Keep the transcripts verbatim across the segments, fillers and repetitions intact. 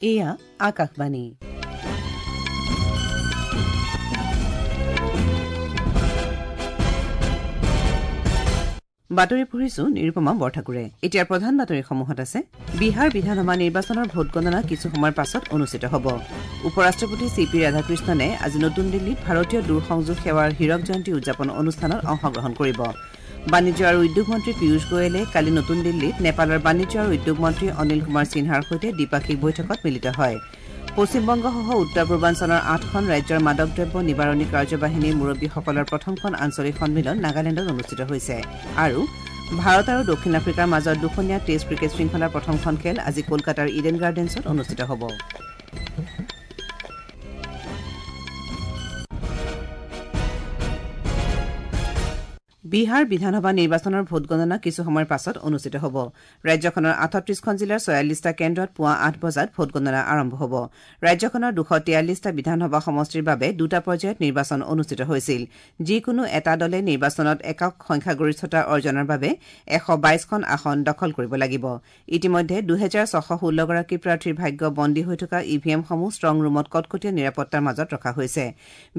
এয়া আকাশবাণী। বাতৰি পঢ়িছো নিৰুপমা বৰঠাকুৰে। এতিয়াৰ প্ৰধান বাতৰিসমূহত আছে: বিহাৰ বিধানসভা নিৰ্বাচনৰ ভোটগণনা কিছু সময়ৰ পাছত অনুষ্ঠিত হ'ব। উপ ৰাষ্ট্ৰপতি চি পি ৰাধাকৃষ্ণনে আজি নতুন দিল্লীত ভাৰতীয় দূৰসংযোগ সেৱাৰ হীৰক জয়ন্তী উদযাপন অনুষ্ঠানত অংশগ্ৰহণ কৰিব। বাণিজ্য আৰু উদ্যোগ মন্ত্ৰী পীয়ুষ গোৱেলে কালি নতুন দিল্লীত নেপালৰ বাণিজ্য আৰু উদ্যোগ মন্ত্ৰী অনিল কুমাৰ সিনহাৰ সৈতে দ্বিপাক্ষিক বৈঠকত মিলিত হয়। পশ্চিমবংগসহ উত্তৰ পূৰ্বাঞ্চলৰ আঠখন ৰাজ্যৰ মাদক দ্ৰব্য নিবাৰণী কাৰ্যবাহিনীৰ মুৰব্বীসকলৰ প্ৰথমখন আঞ্চলিক সন্মিলন নাগালেণ্ডত অনুষ্ঠিত হৈছে। আৰু ভাৰত আৰু দক্ষিণ আফ্ৰিকাৰ মাজত দুখনীয়া টেষ্ট ক্ৰিকেট শৃংখলাৰ প্ৰথমখন খেল আজি কলকাতাৰ ইডেন গাৰ্ডেন্সত অনুষ্ঠিত হ'ব। বিহাৰ বিধানসভা নিৰ্বাচনৰ ভোটগণনা কিছু সময়ৰ পাছত অনুষ্ঠিত হ'ব। ৰাজ্যখনৰ আঠত্ৰিশখন জিলাৰ ছয়াল্লিছটা কেন্দ্ৰত পুৱা আঠ বজাত ভোটগণনা আৰম্ভ হ'ব। ৰাজ্যখনৰ দুশ তিয়াল্লিছটা বিধানসভা সমষ্টিৰ বাবে দুটা পৰ্যায়ত নিৰ্বাচন অনুষ্ঠিত হৈছিল। যিকোনো এটা দলে নিৰ্বাচনত একক সংখ্যাগৰিষ্ঠতা অৰ্জনৰ বাবে এশ বাইশখন আসন দখল কৰিব লাগিব। ইতিমধ্যে দুহেজাৰ ছশ ষোল্লগৰাকী প্ৰাৰ্থীৰ ভাগ্য বন্দী হৈ থকা ই ভি এমসমূহ ষ্ট্ৰং ৰুমত কটকটীয়া নিৰাপত্তাৰ মাজত ৰখা হৈছে।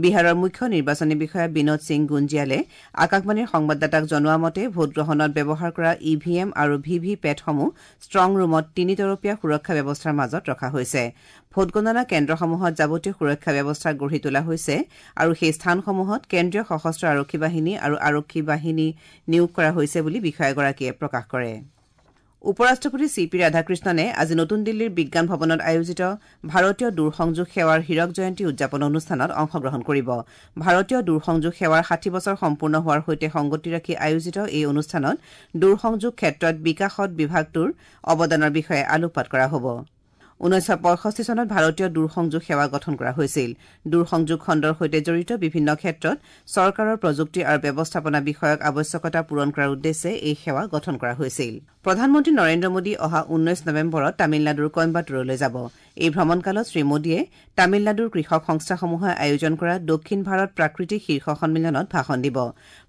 বিহাৰৰ মুখ্য নিৰ্বাচনী বিষয়া বিনোদ সিং গুঞ্জিয়ালে আকাশবাণীৰ সংবাদদাতাক জনোৱা মতে ভোটগ্ৰহণত ব্যৱহাৰ কৰা ই ভি এম আৰু ভি ভি পেটসমূহ ষ্ট্ৰং ৰুমত তিনিতৰপীয়া সুৰক্ষা ব্যৱস্থাৰ মাজত ৰখা হৈছে। ভোটগণনা কেন্দ্ৰসমূহত যাৱতীয় সুৰক্ষা ব্যৱস্থা গঢ়ি তোলা হৈছে আৰু সেই স্থানসমূহত কেন্দ্ৰীয় সশস্ত্ৰ আৰক্ষী বাহিনী আৰু আৰক্ষী বাহিনী নিয়োগ কৰা হৈছে বুলি বিষয়াগৰাকীয়ে প্ৰকাশ কৰে। উপ ৰাষ্ট্ৰপতি চি পি ৰাধাকৃষ্ণনে আজি নতুন দিল্লীৰ বিজ্ঞান ভৱনত আয়োজিত ভাৰতীয় দূৰসংযোগ সেৱাৰ হীৰক জয়ন্তী উদযাপন অনুষ্ঠানত অংশগ্ৰহণ কৰিব। ভাৰতীয় দূৰসংযোগ সেৱাৰ ষাঠি বছৰ সম্পূৰ্ণ হোৱাৰ সৈতে সংগতি ৰাখি আয়োজিত এই অনুষ্ঠানত দূৰসংযোগ ক্ষেত্ৰত বিকাশত বিভাগটোৰ অৱদানৰ বিষয়ে আলোকপাত কৰা হ'ব। ঊনৈছশ পঁয়ষষ্ঠি চনত ভাৰতীয় দূৰসংযোগ সেৱা গঠন কৰা হৈছিল। দূৰসংযোগ খণ্ডৰ সৈতে জড়িত বিভিন্ন ক্ষেত্ৰত চৰকাৰৰ প্ৰযুক্তি আৰু ব্যৱস্থাপনা বিষয়ক আৱশ্যকতা পূৰণ কৰাৰ উদ্দেশ্যে এই সেৱা গঠন কৰা হৈছিল। প্ৰধানমন্ত্ৰী নৰেন্দ্ৰ মোদী অহা ঊনৈশ নৱেম্বৰত তামিলনাডুৰ কইম্বাটুৰলৈ যাব। এই ভ্ৰমণকালত শ্ৰীমোদীয়ে তামিলনাডুৰ কৃষক সংস্থাসমূহে আয়োজন কৰা দক্ষিণ ভাৰত প্ৰাকৃতিক শীৰ্ষ সন্মিলনত ভাষণ দিব।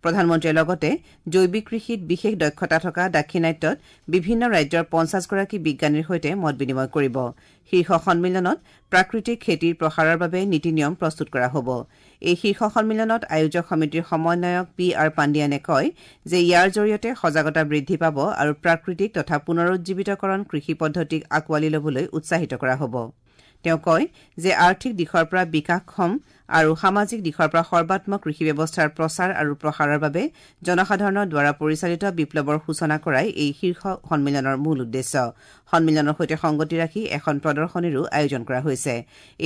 প্ৰধানমন্ত্ৰীয়ে লগতে জৈৱিক কৃষিত বিশেষ দক্ষতা থকা দাক্ষিণাত্যত বিভিন্ন ৰাজ্যৰ পঞ্চাছগৰাকী বিজ্ঞানীৰ সৈতে মত বিনিময় কৰিব। শীৰ্ষ সন্মিলনত প্ৰাকৃতিক খেতিৰ প্ৰসাৰৰ বাবে নীতি নিয়ম প্ৰস্তুত কৰা হ'ব। এই শীৰ্ষ সন্মিলনত আয়োজক সমিতিৰ সমন্বয়ক পি আৰ পাণ্ডিয়ানে কয় যে ইয়াৰ জৰিয়তে সজাগতা বৃদ্ধি পাব আৰু প্ৰাকৃতিক তথা পুনৰুজ্জীৱিতকৰণ কৃষি পদ্ধতিক আঁকোৱালি ল'বলৈ উৎসাহিত কৰা হ'ব। তেওঁ কয় যে আৰ্থিক দিশৰ পৰা বিকাশক্ষম আৰু সামাজিক দিশৰ পৰা সৰ্বাত্মক কৃষি ব্যৱস্থাৰ প্ৰচাৰ আৰু প্ৰসাৰৰ বাবে জনসাধাৰণৰ দ্বাৰা পৰিচালিত বিপ্লৱৰ সূচনা কৰাই এই শীৰ্ষ সন্মিলনৰ মূল উদ্দেশ্য। সন্মিলনৰ সৈতে সংগতি ৰাখি এখন প্ৰদৰ্শনীৰো আয়োজন কৰা হৈছে।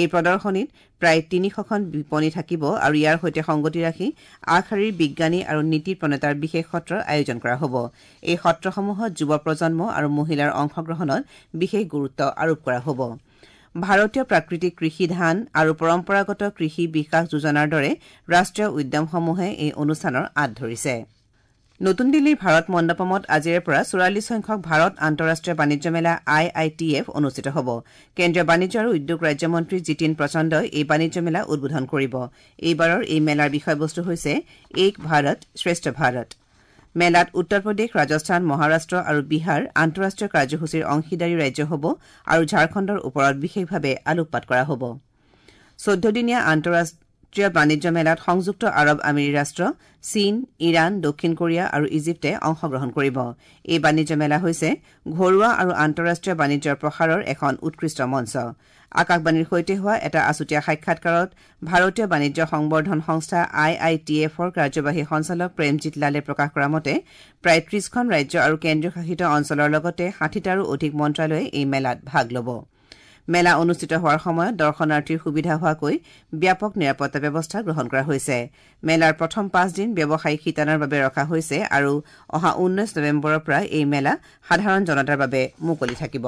এই প্ৰদৰ্শনীত প্ৰায় তিনিশখন বিপণী থাকিব আৰু ইয়াৰ সৈতে সংগতি ৰাখি আগশাৰীৰ বিজ্ঞানী আৰু নীতি প্ৰণেতাৰ বিশেষ সত্ৰৰ আয়োজন কৰা হ'ব। এই সত্ৰসমূহত যুৱ প্ৰজন্ম আৰু মহিলাৰ অংশগ্ৰহণত বিশেষ গুৰুত্ব আৰোপ কৰা হ'ব। ভাৰতীয় প্ৰাকৃতিক কৃষি ধান আৰু পৰম্পৰাগত কৃষি বিকাশ যোজনাৰ দৰে ৰাষ্ট্ৰীয় উদ্যমসমূহে এই অনুষ্ঠানৰ আঁত ধৰিছে। নতুন দিল্লীৰ ভাৰত মণ্ডপমত আজিৰে পৰা চৌৰাল্লিছ সংখ্যক ভাৰত আন্তঃৰাষ্ট্ৰীয় বাণিজ্য মেলা আই I T F অনুষ্ঠিত হ'ব। কেন্দ্ৰীয় বাণিজ্য আৰু উদ্যোগ ৰাজ্যমন্ত্ৰী জিতিন প্ৰচণ্ডই এই বাণিজ্য মেলা উদ্বোধন কৰিব। এইবাৰৰ এই মেলাৰ বিষয়বস্তু হৈছে এক ভাৰত শ্ৰেষ্ঠ ভাৰত। মেলাত উত্তৰ প্ৰদেশ, ৰাজস্থান, মহাৰাষ্ট্ৰ আৰু বিহাৰ আন্তঃৰাষ্ট্ৰীয় কাৰ্যসূচীৰ অংশীদাৰী ৰাজ্য হ'ব আৰু ঝাৰখণ্ডৰ ওপৰত বিশেষভাৱে আলোকপাত কৰা হ'ব। চৈধ্যদিনীয়া আন্তঃৰাষ্ট্ৰীয় বাণিজ্য মেলাত সংযুক্ত আৰৱ আমিৰী ৰাষ্ট্ৰ, চীন, ইৰাণ, দক্ষিণ কোৰিয়া আৰু ইজিপ্তে অংশগ্ৰহণ কৰিব। এই বাণিজ্য মেলা হৈছে ঘৰুৱা আৰু আন্তঃৰাষ্ট্ৰীয় বাণিজ্যৰ প্ৰসাৰৰ এখন উৎকৃষ্ট মঞ্চ। আকাশবাণীৰ সৈতে হোৱা এটা আছুতীয়া সাক্ষাৎকাৰত ভাৰতীয় বাণিজ্য সংবৰ্ধন সংস্থা আই I T এফৰ কাৰ্যবাহী সঞ্চালক প্ৰেমজিৎ লালে প্ৰকাশ কৰা মতে প্ৰায় ত্ৰিশখন ৰাজ্য আৰু কেন্দ্ৰীয় শাসিত অঞ্চলৰ লগতে ষাঠিটাৰো অধিক মন্ত্ৰালয়ে এই মেলাত ভাগ ল'ব। মেলা অনুষ্ঠিত হোৱাৰ সময়ত দৰ্শনাৰ্থীৰ সুবিধা হোৱাকৈ ব্যাপক নিৰাপত্তা ব্যৱস্থা গ্ৰহণ কৰা হৈছে। মেলাৰ প্ৰথম পাঁচদিন ব্যৱসায়িক শিতানৰ বাবে ৰখা হৈছে আৰু অহা ঊনৈশ নৱেম্বৰৰ পৰা এই মেলা সাধাৰণ জনতাৰ বাবে মুকলি থাকিব।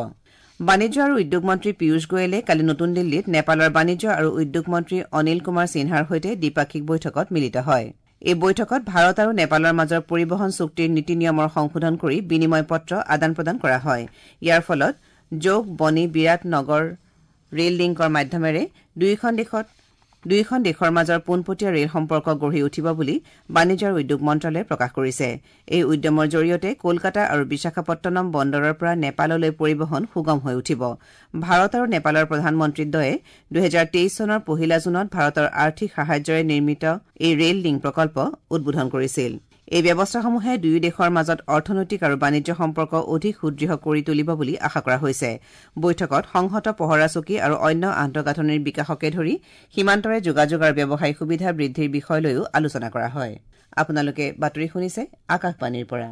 বাণিজ্য আৰু উদ্যোগ মন্ত্ৰী পীয়ুষ গোৱেলে কালি নতুন দিল্লীত নেপালৰ বাণিজ্য আৰু উদ্যোগ মন্ত্ৰী অনিল কুমাৰ সিনহাৰ সৈতে দ্বিপাক্ষিক বৈঠকত মিলিত হয়। এই বৈঠকত ভাৰত আৰু নেপালৰ মাজৰ পৰিবহণ চুক্তিৰ নীতি নিয়মৰ সংশোধন কৰি বিনিময় পত্ৰ আদান প্ৰদান কৰা হয়। ইয়াৰ ফলত যোগ বনি বিৰাট নগৰ ৰেল লিংকৰ মাধ্যমেৰে দুয়োখন দেশত দুয়োখন দেশৰ মাজৰ পোনপটীয়া ৰেল সম্পৰ্ক গঢ়ি উঠিব বুলি বাণিজ্য আৰু উদ্যোগ মন্ত্ৰালয়ে প্ৰকাশ কৰিছে। এই উদ্যমৰ জৰিয়তে কলকাতা আৰু বিশাখাপট্টনম বন্দৰৰ পৰা নেপাললৈ পৰিবহণ সুগম হৈ উঠিব। ভাৰত আৰু নেপালৰ প্ৰধানমন্ত্ৰীদ্বয়ে দুহেজাৰ তেইছ চনৰ পহিলা জুনত ভাৰতৰ আৰ্থিক সাহায্যৰে নিৰ্মিত এই ৰেল লিংক প্ৰকল্প উদ্বোধন কৰিছিল। এই ব্যৱস্থাসমূহে দুয়ো দেশৰ মাজত অৰ্থনৈতিক আৰু বাণিজ্য সম্পৰ্ক অধিক সুদৃঢ় কৰি তুলিব বুলি আশা কৰা হৈছে। বৈঠকত সংহত পহৰা চকী আৰু অন্য আন্তঃগাঁথনিৰ বিকাশকে ধৰি সীমান্তৰে যোগাযোগ আৰু ব্যৱসায়িক সুবিধা বৃদ্ধিৰ বিষয় লৈও আলোচনা কৰা হয়। আপোনালোকে বাতৰি শুনিছে আকাশবাণীৰ পৰা।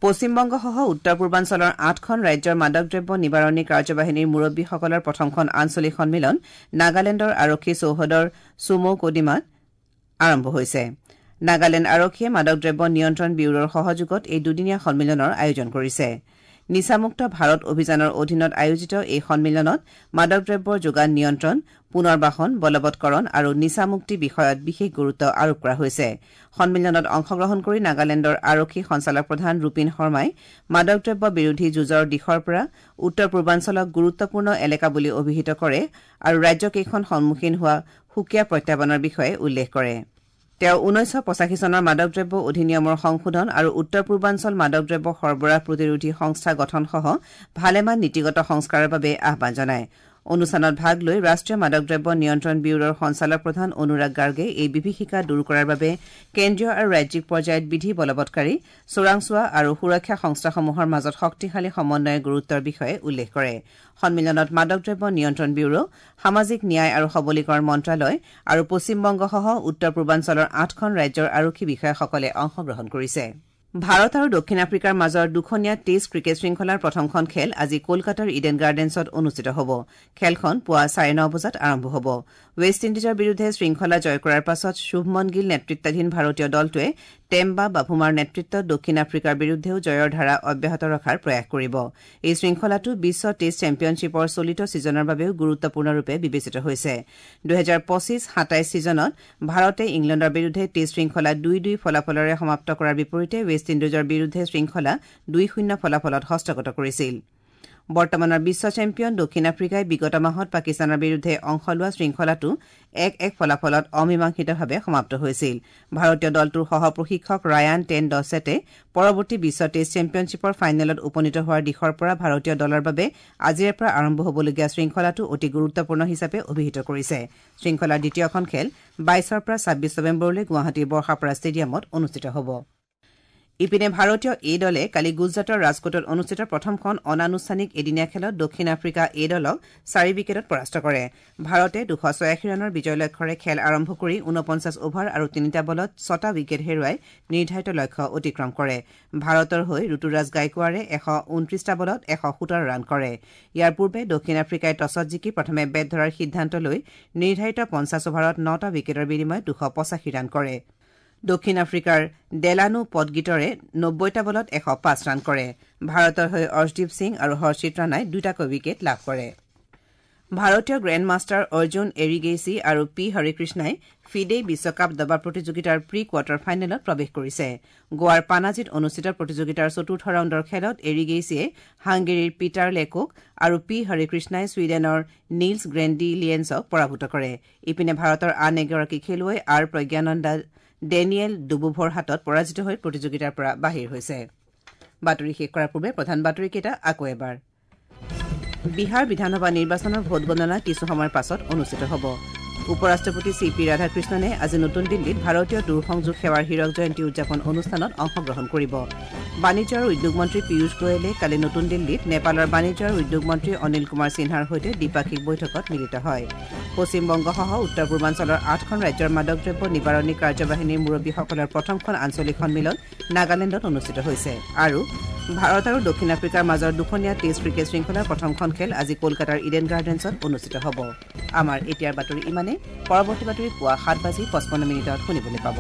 পশ্চিমবংগসহ উত্তৰ পূৰ্বাঞ্চলৰ আঠখন ৰাজ্যৰ মাদক দ্ৰব্য নিবাৰণী কাৰ্যবাহিনীৰ মুৰব্বীসকলৰ প্ৰথমখন আঞ্চলিক সন্মিলন নাগালেণ্ডৰ আৰক্ষী চৌহদৰ চুমৌকডিমাত আৰম্ভ হৈছে। নাগালেণ্ড আৰক্ষীয়ে মাদক দ্ৰব্য নিয়ন্ত্ৰণ ব্যুৰোৰ সহযোগত এই দুদিনীয়া সন্মিলনৰ আয়োজন কৰিছে। নিচামুক্ত ভাৰত অভিযানৰ অধীনত আয়োজিত এই সন্মিলনত মাদক দ্ৰব্যৰ যোগান নিয়ন্ত্ৰণ, পুনৰ্বাসন, বলবৎকৰণ আৰু নিচামুক্তি বিষয়ত বিশেষ গুৰুত্ব আৰোপ কৰা হৈছে। সন্মিলনত অংশগ্ৰহণ কৰি নাগালেণ্ডৰ আৰক্ষী সঞ্চালক প্ৰধান ৰূপিন শৰ্মাই মাদক দ্ৰব্য বিৰোধী যুঁজৰ দিশৰ পৰা উত্তৰ পূৰ্বাঞ্চলক গুৰুত্বপূৰ্ণ এলেকা বুলি অভিহিত কৰে আৰু ৰাজ্যকেইখন সন্মুখীন হোৱা সুকীয়া প্ৰত্যাহ্বানৰ বিষয়ে উল্লেখ কৰে। তেওঁ ঊনৈছশ পঁচাশী চনৰ মাদক দ্ৰব্য অধিনিয়মৰ সংশোধন আৰু উত্তৰ পূৰ্বাঞ্চল মাদক দ্ৰব্য সৰবৰাহ প্ৰতিৰোধী সংস্থা গঠনসহ ভালেমান নীতিগত সংস্কাৰৰ বাবে আহ্বান জনায়। অনুষ্ঠানত ভাগ লৈ ৰাষ্ট্ৰীয় মাদক দ্ৰব্য নিয়ন্ত্ৰণ ব্যুৰোৰ সঞ্চালক প্ৰধান অনুৰাগ গাৰ্গে এই বিভীষিকা দূৰ কৰাৰ বাবে কেন্দ্ৰীয় আৰু ৰাজ্যিক পৰ্যায়ত বিধি বলবৎকাৰী, চোৰাংচোৱা আৰু সুৰক্ষা সংস্থাসমূহৰ মাজত শক্তিশালী সমন্বয়ৰ গুৰুত্বৰ বিষয়ে উল্লেখ কৰে। সন্মিলনত মাদক দ্ৰব্য নিয়ন্ত্ৰণ ব্যুৰো, সামাজিক ন্যায় আৰু সবলীকৰণ মন্ত্ৰালয় আৰু পশ্চিমবংগসহ উত্তৰ পূৰ্বাঞ্চলৰ আঠখন ৰাজ্যৰ আৰক্ষী বিষয়াসকলে অংশগ্ৰহণ কৰিছে। ভাৰত আৰু দক্ষিণ আফ্ৰিকাৰ মাজৰ দুখনীয়া টেষ্ট ক্ৰিকেট শৃংখলাৰ প্ৰথমখন খেল আজি কলকাতাৰ ইডেন গাৰ্ডেন্সত অনুষ্ঠিত হ'ব। খেলখন পুৱা চাৰে ন বজাত আৰম্ভ হ'ব। ৱেষ্ট ইণ্ডিজৰ বিৰুদ্ধে শৃংখলা জয় কৰাৰ পাছত শুভমন গিল নেতৃত্বাধীন ভাৰতীয় দলটোৱে টেম্বা বাভুমাৰ নেতৃত্বত দক্ষিণ আফ্ৰিকাৰ বিৰুদ্ধেও জয়ৰ ধাৰা অব্যাহত ৰখাৰ প্ৰয়াস কৰিব। এই শৃংখলাটো বিশ্ব টেষ্ট চেম্পিয়নশ্বিপৰ চলিত ছিজনৰ বাবেও গুৰুত্বপূৰ্ণৰূপে বিবেচিত হৈছে। দুহেজাৰ পঁচিছ সাতাইছ ছিজনত ভাৰতে ইংলেণ্ডৰ বিৰুদ্ধে টেষ্ট শৃংখলা দুই দুই ফলাফলেৰে সমাপ্ত কৰাৰ বিপৰীতে ৱেষ্ট ইণ্ডিজৰ বিৰুদ্ধে শৃংখলা দুই শূন্য ফলাফলত হস্তগত কৰিছিল। বৰ্তমানৰ বিশ্ব চেম্পিয়ন দক্ষিণ আফ্ৰিকাই বিগত মাহত পাকিস্তানৰ বিৰুদ্ধে অংশ লোৱা শৃংখলাটো এক এক ফলাফলত অমীমাংসিতভাৱে সমাপ্ত হৈছিল। ভাৰতীয় দলটোৰ সহ প্ৰশিক্ষক ৰায়ান টেন ডছেটে পৰৱৰ্তী বিশ্ব টেষ্ট চেম্পিয়নশ্বিপৰ ফাইনেলত উপনীত হোৱাৰ দিশৰ পৰা ভাৰতীয় দলৰ বাবে আজিৰে পৰা আৰম্ভ হ'বলগীয়া শৃংখলাটো অতি গুৰুত্বপূৰ্ণ হিচাপে অভিহিত কৰিছে। শৃংখলাৰ দ্বিতীয়খন খেল বাইছৰ পৰা ছাব্বিছ নৱেম্বৰলৈ গুৱাহাটীৰ বৰ্ষাপাৰা ষ্টেডিয়ামত অনুষ্ঠিত হ'ব। ইপিনে ভাৰতীয় এ দলে কালি গুজৰাটৰ ৰাজকোটত অনুষ্ঠিত প্ৰথমখন অনানুষ্ঠানিক এদিনীয়া খেলত দক্ষিণ আফ্ৰিকা এ দলক চাৰি উইকেটত পৰাস্ত কৰে। ভাৰতে দুশ ছয়াশী ৰানৰ বিজয় লক্ষ্যৰে খেল আৰম্ভ কৰি ঊনপঞ্চাছ অভাৰ আৰু তিনিটা বলত ছটা উইকেট হেৰুৱাই নিৰ্ধাৰিত লক্ষ্য অতিক্ৰম কৰে। ভাৰতৰ হৈ ঋতুৰাজ গাইকোৱাৰে এশ ঊনত্ৰিছটা বলত এশ সোতৰ ৰান কৰে। ইয়াৰ পূৰ্বে দক্ষিণ আফ্ৰিকাই টছত জিকি প্ৰথমে বেট ধৰাৰ সিদ্ধান্ত লৈ নিৰ্ধাৰিত পঞ্চাছ অভাৰত নটা উইকেটৰ বিনিময়ত দুশ পঁচাশী ৰান কৰে। দক্ষিণ আফ্ৰিকাৰ ডেলানো পটগীটৰে নব্বৈটা বলত এশ পাঁচ ৰান কৰে। ভাৰতৰ হৈ অৰ্শদীপ সিং আৰু হৰ্ষিত ৰাণাই দুটাকৈ উইকেট লাভ কৰে। ভাৰতীয় গ্ৰেণ্ড মাষ্টাৰ অৰ্জুন এৰিগেইচি আৰু পি হৰিকৃষ্ণাই ফিডে বিশ্বকাপ দবা প্ৰতিযোগিতাৰ প্ৰি কোৱাৰ্টাৰ ফাইনেলত প্ৰৱেশ কৰিছে। গোৱাৰ পানাজীত অনুষ্ঠিত প্ৰতিযোগিতাৰ চতুৰ্থ ৰাউণ্ডৰ খেলত এৰিগেইচিয়ে হাংগেৰীৰ পিটাৰ লেকক আৰু পি হৰিকৃষ্ণাই ছুইডেনৰ নীলছ গ্ৰেণ্ডিলিয়েন্সক পৰাভূত কৰে। ইপিনে ভাৰতৰ আন এগৰাকী খেলুৱৈ আৰ প্ৰজ্ঞানন্দা ডেনিয়েল ডুবুভৰ হাতত পৰাজিত হৈ প্ৰতিযোগিতাৰ পৰা বাহিৰ হৈছে। বাতৰি শেষ কৰাৰ পূৰ্বে প্ৰধান বাতৰিকেইটা আকৌ এবাৰ। বিহাৰ বিধানসভা নিৰ্বাচনৰ ভোটগণনা কিছু সময়ৰ পাছত অনুষ্ঠিত হ'ব। উপ ৰাষ্ট্ৰপতি চি পি ৰাধাকৃষ্ণনে আজি নতুন দিল্লীত ভাৰতীয় দূৰসংযোগ সেৱাৰ হীৰক জয়ন্তী উদযাপন অনুষ্ঠানত অংশগ্ৰহণ কৰিব। বাণিজ্য আৰু উদ্যোগ মন্ত্ৰী পীয়ুষ গোৱেলে কালি নতুন দিল্লীত নেপালৰ বাণিজ্য আৰু উদ্যোগ মন্ত্ৰী অনিল কুমাৰ সিনহাৰ সৈতে দ্বিপাক্ষিক বৈঠকত মিলিত হয়। পশ্চিমবংগসহ উত্তৰ পূৰ্বাঞ্চলৰ আঠখন ৰাজ্যৰ মাদক দ্ৰব্য নিবাৰণী কাৰ্যবাহিনীৰ মুৰব্বীসকলৰ প্ৰথমখন আঞ্চলিক সন্মিলন নাগালেণ্ডত অনুষ্ঠিত হৈছে। আৰু ভাৰত আৰু দক্ষিণ আফ্ৰিকাৰ মাজৰ দুখনীয়া টেষ্ট ক্ৰিকেট শৃংখলাৰ প্ৰথমখন খেল আজি কলকাতাৰ ইডেন গাৰ্ডেন্সত অনুষ্ঠিত হ'ব। আমাৰ এতিয়াৰ বাতৰি ইমানে। পৰৱৰ্তী বাতৰি পুৱা সাত বাজি পঁচপন্ন মিনিটত শুনিবলৈ পাব।